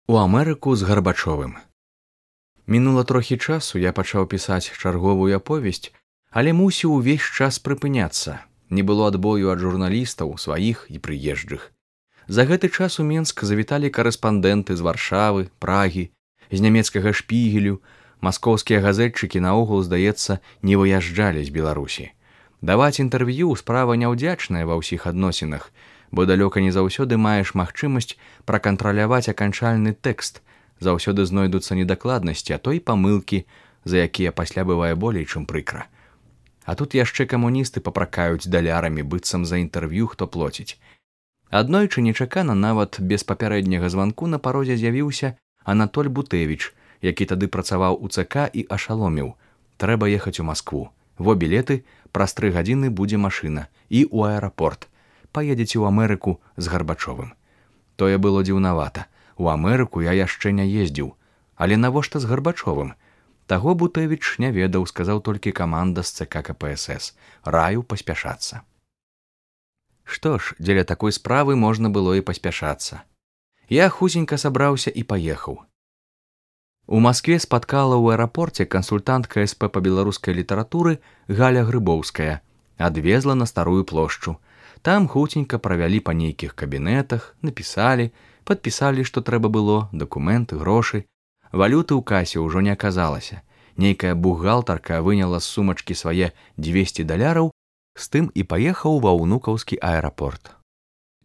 У Амерыку з Гарбачовым. Мінула трохі часу, я пачаў пісаць чарговую аповесць, але мусіў увесь час прыпыняцца. Не было адбою ад журналістаў, сваіх і прыезджых. За гэты час у Менск завіталі карэспандэнты з Варшавы, Прагі, з нямецкага Шпігелю. Маскоўскія газетчыкі наогул, здаецца, не выязджалі з Беларусі. Даваць інтэрв'ю справа няўдзячная ва ўсіх адносінах, бо далёка не заўсёды маеш магчымасць пракантраляваць аканчальны тэкст, заўсёды знойдуцца недакладнасці, а то і памылкі, за якія пасля бывае болей, чым прыкра. А тут яшчэ камуністы папракаюць далярамі, быццам за інтэрв'ю хто плоціць. Аднойчы нечакана, нават без папярэдняга званку, на парозе з'явіўся Анатоль Бутэвіч, які тады працаваў у ЦК і ашаломіў: трэба ехаць у Маскву. Во білеты, праз 3 гадзіны будзе машына і ў аэрапорт. Паедзеце ў Амерыку з Гарбачовым. Тое было дзіўнавата. У Амерыку я яшчэ не ездзіў. Але навошта з Гарбачовым? Таго Бутэвіч не ведаў, сказаў толькі каманда з ЦК КПСС. Раю паспяшацца. Што ж, дзеля такой справы можна было і паспяшацца. Я хутенька сабраўся і паехаў. У Маскве спаткала ў аэрапорце кансультантка СП па беларускай літаратуры Галя Грыбоўская. Адвезла на Старую плошчу. Там хутенька правялі па нейкіх кабінетах, напісалі, падпісалі, што трэба было, дакументы, грошы. Валюты ў касе ўжо не аказалася. Нейкая бухгалтарка выняла з сумачкі свае $200, з тым і паехаў ва ўнукаўскі аэрапорт.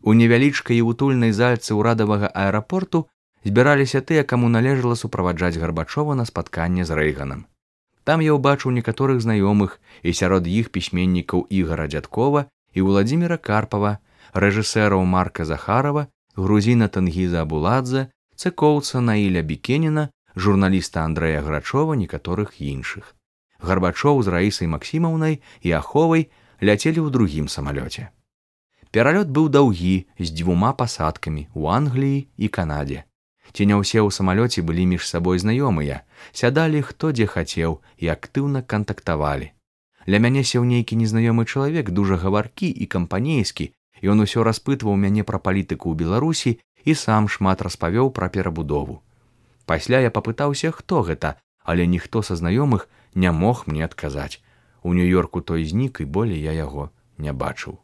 У невялічкай і утульнай зальцы ўрадавага аэрапорту збіраліся тыя, каму належала суправаджаць Гарбачова на спатканне з Рэйганам. Там я ўбачыў некаторых знаёмых, і сярод іх пісьменнікаў Ігара Дзядкова і Владзіміра Карпава, рэжысэраў Марка Захарова, грузіна Тэнгіза Абуладзе, цэкоўца Наіля Бікеніна, журналіста Андрэя Грачова, некаторых іншых. Гарбачоў з Раісай Максімаўнай і Аховай ляцелі ў другім самалёце. Пералёт быў даўгі, з 2 пасадкамі ў Англіі і Канадзе. Ці не ўсе ў самалёце былі між сабой знаёмыя, сядалі хто дзе хацеў і актыўна кантактавалі. Ля мяне сеў нейкі незнаёмы чалавек, дужа гаваркі і кампанейскі, і ён усё распытваў мяне пра палітыку ў Беларусі і сам шмат распавёў пра перабудову. Пасля я папытаўся, хто гэта, але ніхто са знаёмых не мог мне адказаць. У Нью-Йорку той знік, і болей я яго не бачыў.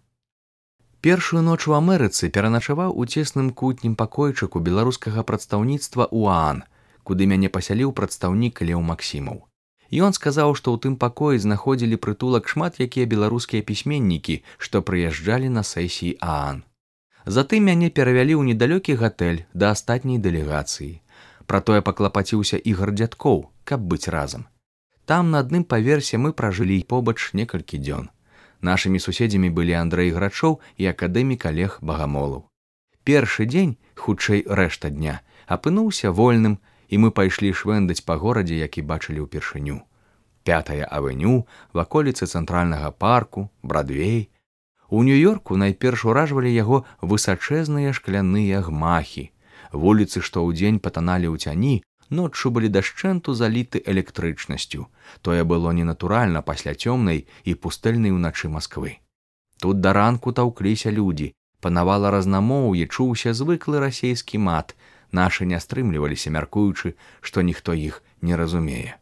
Першую ноч у Амерыцы пераначаваў у цесным кутнім пакойчыку беларускага прадстаўніцтва ў ААН, куды мяне пасяліў прадстаўнік Леў Максімаў. Ён сказаў, што ў тым пакоі знаходзілі прытулак шмат якія беларускія пісьменнікі, што прыязджалі на сесіі ААН. Затым мяне перавялі ў недалёкі гатэль да астатняй дэлегацыі. Пра тое паклапаціўся Ігар Дзядкоў, каб быць разам. Там на адным паверсе мы пражылі побач некалькі дзён. Нашымі суседзямі былі Андрэй Грачоў і акадэмік Алег Багамолаў. Першы дзень, хутчэй рэшта дня, апынуўся вольным, і мы пайшлі швэндаць па горадзе, які бачылі ўпершыню. 5-я авеню, ваколіцы цэнтральнага парку, Брадвей. У Нью-Йорку найперш уражвалі яго высачэзныя шкляныя гмахі. Вуліцы, што ўдзень патаналі ў цяні, ноччу былі дашчэнту заліты электрычнасцю. Тое было ненатуральна пасля цёмнай і пустэльнай уначы Масквы. Тут да ранку таўкліся людзі, панавала разнамоўе, чуўся звыклы расейскі мат. Нашы не стрымліваліся, мяркуючы, што ніхто іх не разумее.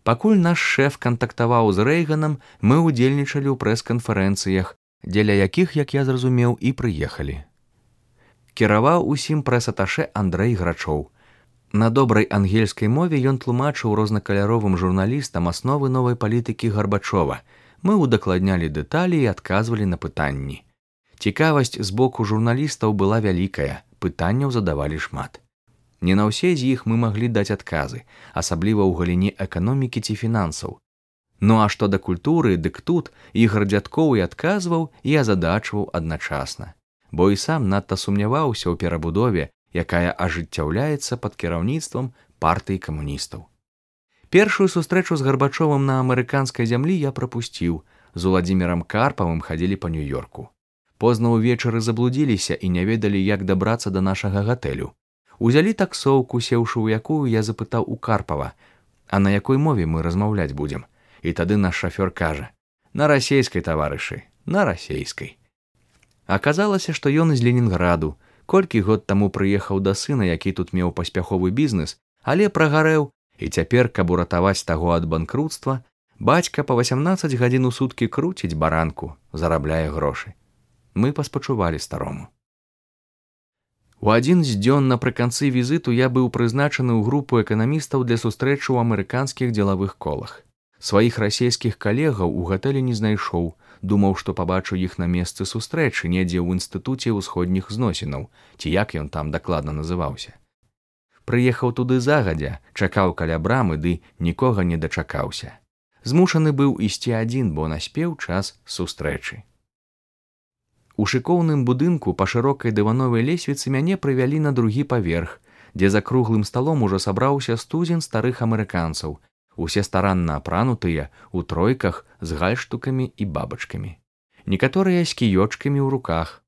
Пакуль наш шэф кантактаваў з Рэйганам, мы ўдзельнічалі ў прэс-канферэнцыях, дзеля якіх, як я зразумеў, і прыехалі. Кіраваў усім прэс-аташэ Андрэй Грачоў. На добрай ангельскай мове ён тлумачыў рознакаляровым журналістам асновы новай палітыкі Гарбачова. Мы удакладнялі дэталі і адказвалі на пытанні. Цікавасць з боку журналістаў была вялікая, пытанняў задавалі шмат. Не на ўсе з іх мы маглі даць адказы, асабліва ў галіне эканомікі ці фінансаў. Ну а што да культуры, дык тут Ігар Дзядкоў і адказваў, і азадачваў адначасна. Бо і сам надта сумняваўся ў перабудове, якая ажыццяўляецца пад кіраўніцтвам партыі камуністаў. Першую сустрэчу з Гарбачовым на амерыканскай зямлі я прапусціў. З Владзімірам Карпавым хадзілі па Нью-Йорку. Позна ўвечары заблудзіліся і не ведалі, як дабрацца да нашага гатэлю. Узялі таксоўку, сеўшы ў якую, я запытаў у Карпава: а на якой мове мы размаўляць будзем? І тады наш шафёр кажа: на расейскай, таварышы, на расейскай. Аказалася, што ён з Ленінграду, Колькі год таму прыехаў да сына, які тут меў паспяховы бізнес, але прагарэў, і цяпер, каб уратаваць таго ад банкруцтва, бацька па 18 гадзін у суткі круціць баранку, зарабляе грошы. Мы паспачувалі старому. У адзін з дзён напрыканцы візіту я быў прызначаны ў групу эканамістаў для сустрэчы ў амерыканскіх дзелавых колах. Сваіх расійскіх калегаў у гатэлі не знайшоў, думаў, што пабачу іх на месцы сустрэчы недзе ў інстытуце ўсходніх зносінаў, ці як ён там дакладна называўся. Прыехаў туды загадзя, чакаў каля брамы, ды нікога не дачакаўся. Змушаны быў ісці адзін, бо наспеў час сустрэчы. У шыкоўным будынку па шырокай дывановай лесвіцы мяне прывялі на другі паверх, дзе за круглым сталом ужо сабраўся студзень старых амерыканцаў, усе старанна апранутыя, у тройках з гальштукамі і бабачкамі. Некаторыя з кіёчкамі ў руках.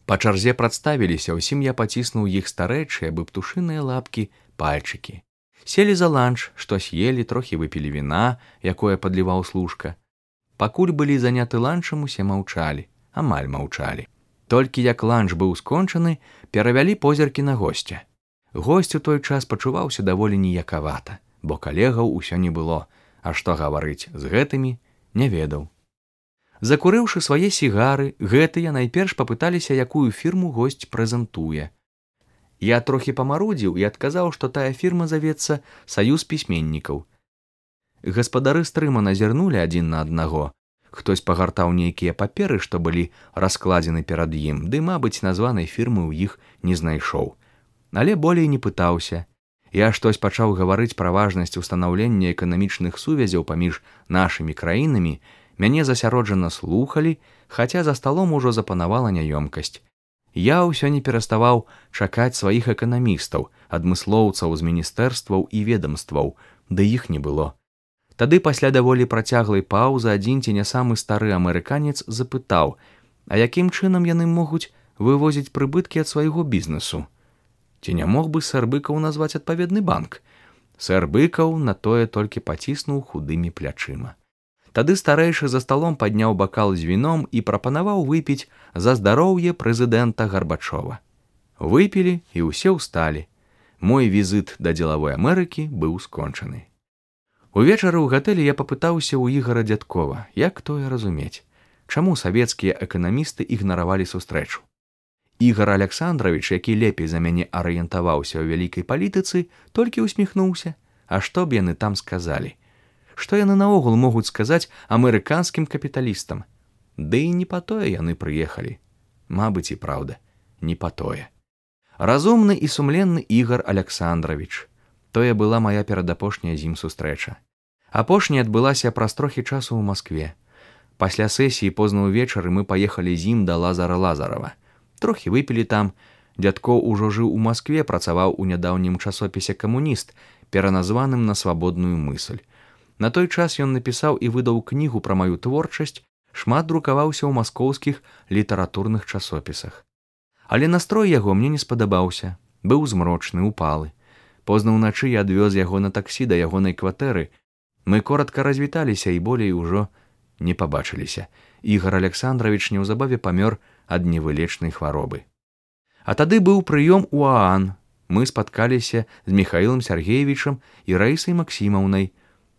Па чарзе прадставіліся, усім я паціснуў іх старэчыя, бы птушыныя лапкі, пальчыкі. Селі за ланч, што съелі, трохі выпілі віна, якое падліваў служка. Пакуль былі заняты ланчам, усе маўчалі, амаль маўчалі. Толькі як ланч быў скончаны, перавялі позіркі на госця. Госць у той час пачуваўся даволі ніякавата, бо калегаў усё не было, а што гаварыць з гэтымі, не ведаў. Закурыўшы свае сігары, гэтыя найперш папыталіся, якую фірму госць прэзентуе. Я трохі памарудзіў і адказаў, што тая фірма завецца «Саюз пісьменнікаў». Гаспадары стрыма назірнулі адзін на аднаго. Хтось пагартаў нейкія паперы, што былі раскладзены перад ім, ды, мабыць, названай фірмы ў іх не знайшоў. Але болей не пытаўся. Я штось пачаў гаварыць пра важнасць устанаўлення эканамічных сувязяў паміж нашымі краінамі, мяне засяроджана слухалі, хаця за сталом ужо запанавала няёмкасць. Я ўсё не пераставаў чакаць сваіх эканамістаў, адмыслоўцаў з міністэрстваў і ведамстваў, ды іх не было. Тады пасля даволі працяглай паўзы адзін ці не самы стары амерыканец запытаў, а якім чынам яны могуць вывозіць прыбыткі ад свайго бізнесу? Ці не мог бы сэр Быкаў назваць адпаведны банк? Сэр Быкаў на тое толькі паціснуў худымі плячыма. Тады старэйшы за сталом падняў бакал з віном і прапанаваў выпіць за здароўе прэзідэнта Гарбачова. Выпілі і ўсе ўсталі. Мой візіт да дзелавой Амерыкі быў скончаны. Увечары ў гатэлі я папытаўся ў Ігара Дзядкова, як тое разумець, чаму савецкія эканамісты ігнаравалі сустрэчу. Ігар Аляксандравіч, які лепей за мяне арыентаваўся ў вялікай палітыцы, толькі усміхнуўся. А што б яны там сказалі? Што яны наогул могуць сказаць амерыканскім капіталістам? Ды і не па тое яны прыехалі. Мабыць, і праўда, не па тое. Разумны і сумленны Ігар Аляксандравіч. Тое была мая перадапошняя з ім сустрэча. Апошняя адбылася праз трохі часу ў Маскве. Пасля сесіі позна ўвечары мы паехалі з ім да Лазара Лазарава. Трохі выпілі там. Дзядкоў ужо жыў у Маскве, працаваў у нядаўнім часопісе «Камуніст», пераназваным на свабодную мысль. На той час ён напісаў і выдаў кнігу пра маю творчасць, шмат друкаваўся ў маскоўскіх літаратурных часопісах. Але настрой яго мне не спадабаўся, быў змрочны, упалы. Позна ўначы я адвёз яго на таксі да ягонай кватэры. Мы коратка развіталіся і болей ужо не пабачыліся. Ігар Аляксандравіч неўзабаве памёр ад невылечнай хваробы. А тады быў прыём у ААН. Мы спаткаліся з Міхаілам Сяргеевічам і Раісай Максімаўнай.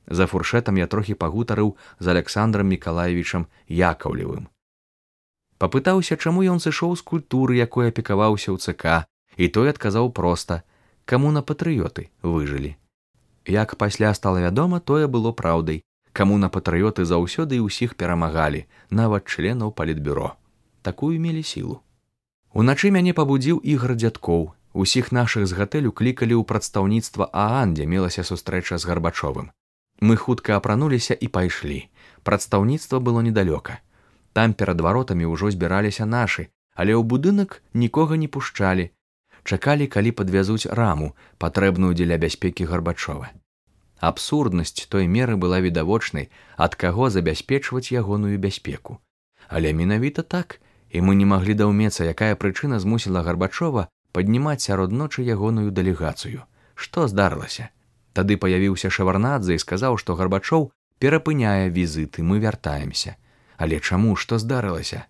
За фуршэтам я трохі пагутарыў з Аляксандрам Мікалаевічам Якаўлевым. Папытаўся, чаму ён сышоў з культуры, якой апекаваўся ў ЦК, і той адказаў проста: камуна-патрыёты выжылі. Як пасля стала вядома, тое было праўдай. Камуна-патрыёты заўсёды і ўсіх перамагалі, нават членаў палітбюро. Такую мелі сілу. Уначы мяне пабудзіў Ігар Дзядкоў. Усіх нашых з гатэлю клікалі ў прадстаўніцтва ААН, дзе мелася сустрэча з Гарбачовым. Мы хутка апрануліся і пайшлі. Прадстаўніцтва было недалёка. Там перад варотамі ўжо збіраліся нашы, але ў будынак нікога не пушчалі. Чакалі, калі падвязуць раму, патрэбную дзеля бяспекі Гарбачова. Абсурднасць той меры была відавочнай, ад каго забяспечваць ягоную бяспеку. Але менавіта так, і мы не маглі даўмецца, якая прычына змусіла Гарбачова паднімаць сярод ночы ягоную дэлегацыю. Што здарылася? Тады паявіўся Шаварнадзе і сказаў, што Гарбачоў перапыняе візіты, мы вяртаемся. Але чаму, што здарылася?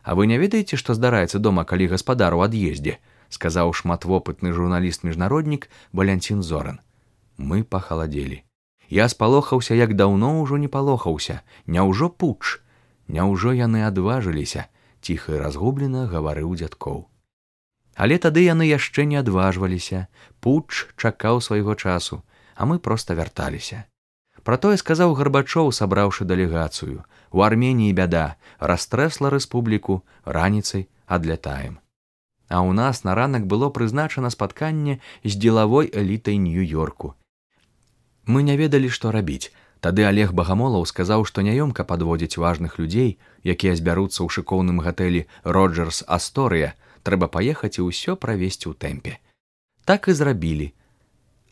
А вы не ведаеце, што здараецца дома, калі гаспадар у ад'ездзе? сказаў шматвопытны журналіст-міжнароднік Валянцін Зоран. Мы пахаладзелі. Я спалохаўся, як даўно ўжо не палохаўся. Няўжо путч? Няўжо яны адважыліся? Ціха і разгублена гаварыў дзядкоў. Але тады яны яшчэ не адважваліся. Путч чакаў свайго часу, а мы проста вярталіся. Пра тое сказаў Гарбачоў, сабраўшы дэлегацыю. У Арменіі бяда, растрэсла рэспубліку, раніцай адлятаем. А ў нас на ранак было прызначана спатканне з дзелавой элітай Нью-Йорку. Мы не ведалі, што рабіць. Тады Олег Багамолаў сказаў, што няёмка падводзіць важных людзей, якія збяруцца ў шыкоўным гатэлі «Роджерс Асторыя», трэба паехаць і ўсё правесці ў тэмпе. Так і зрабілі.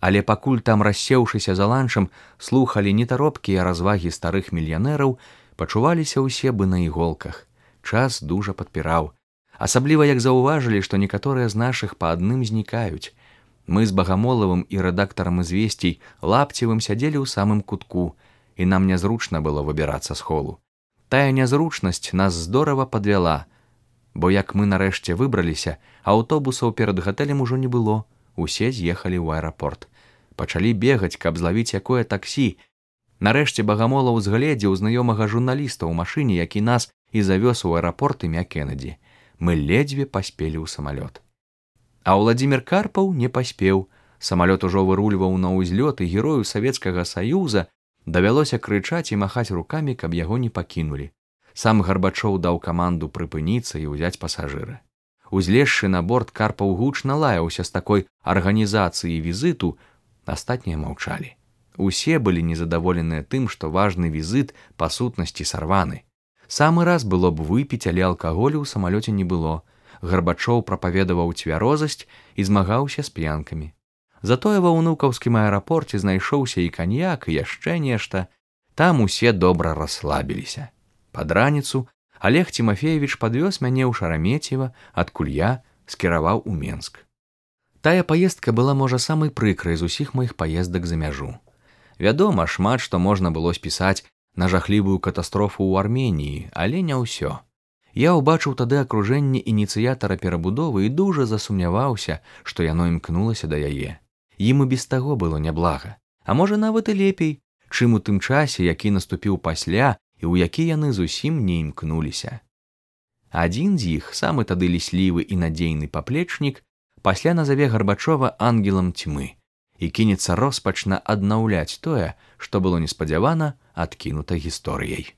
Але пакуль там, рассеўшыся за ланчам, слухалі нетаропкія развагі старых мільянераў, пачуваліся ўсе бы на іголках. Час дужа падпіраў. Асабліва як заўважылі, што некаторыя з нашых па адным знікаюць. Мы з Багамолавым і рэдактарам «Ізвесцій» Лапцевым сядзелі ў самым кутку, і нам нязручна было выбірацца з холу. Тая нязручнасць нас здорава падвяла, бо як мы нарэшце выбраліся, аўтобусаў перад гатэлем ужо не было, усе з'ехалі ў аэрапорт. Пачалі бегаць, каб злавіць якое таксі. Нарэшце Багамолаў згледзеў знаёмага журналіста ў машыне, які нас і завёз у аэрапорт імя Кеннеді. Мы ледзьве паспелі ў самалёт. А Ўладзімір Карпаў не паспеў. Самалёт ужо вырульваў на ўзлёт, і герою Савецкага Саюза давялося крычаць і махаць рукамі, каб яго не пакінулі. Сам Гарбачоў даў каманду прыпыніцца і ўзяць пасажыра. Узлезшы на борт, Карпаў гучна лаяўся з такой арганізацыяй візіту, астатнія маўчалі. Усе былі незадаволеныя тым, што важны візіт па сутнасці сарваны. Самы раз было б выпіць, але алкаголю ў самалёце не было. Гарбачоў прапаведаваў цвярозасць і змагаўся з п'янкамі. Затое ва ўнукаўскім аэрапорце знайшоўся і каньяк, і яшчэ нешта. Там усе добра расслабіліся. Пад раніцу Олег Тимофеевич падвёз мяне ў Шарамецева, адкуль я скіраваў у Менск. Тая паездка была, можа, самай прыкрай з усіх маіх паездак за мяжу. Вядома, шмат што можна было спісаць на жахлівую катастрофу ў Арменіі, але не ўсё. Я ўбачыў тады акружэнне ініцыятара перабудовы і дужа засумняваўся, што яно імкнулася да яе. Ім і без таго было няблага, а можа нават і лепей, чым у тым часе, які наступіў пасля і ў які яны зусім не імкнуліся. Адзін з іх, самы тады ліслівы і надзейны паплечнік, пасля назаве Гарбачова ангелам тьмы і кінецца роспачна аднаўляць тое, што было неспадзявана адкінута гісторыяй.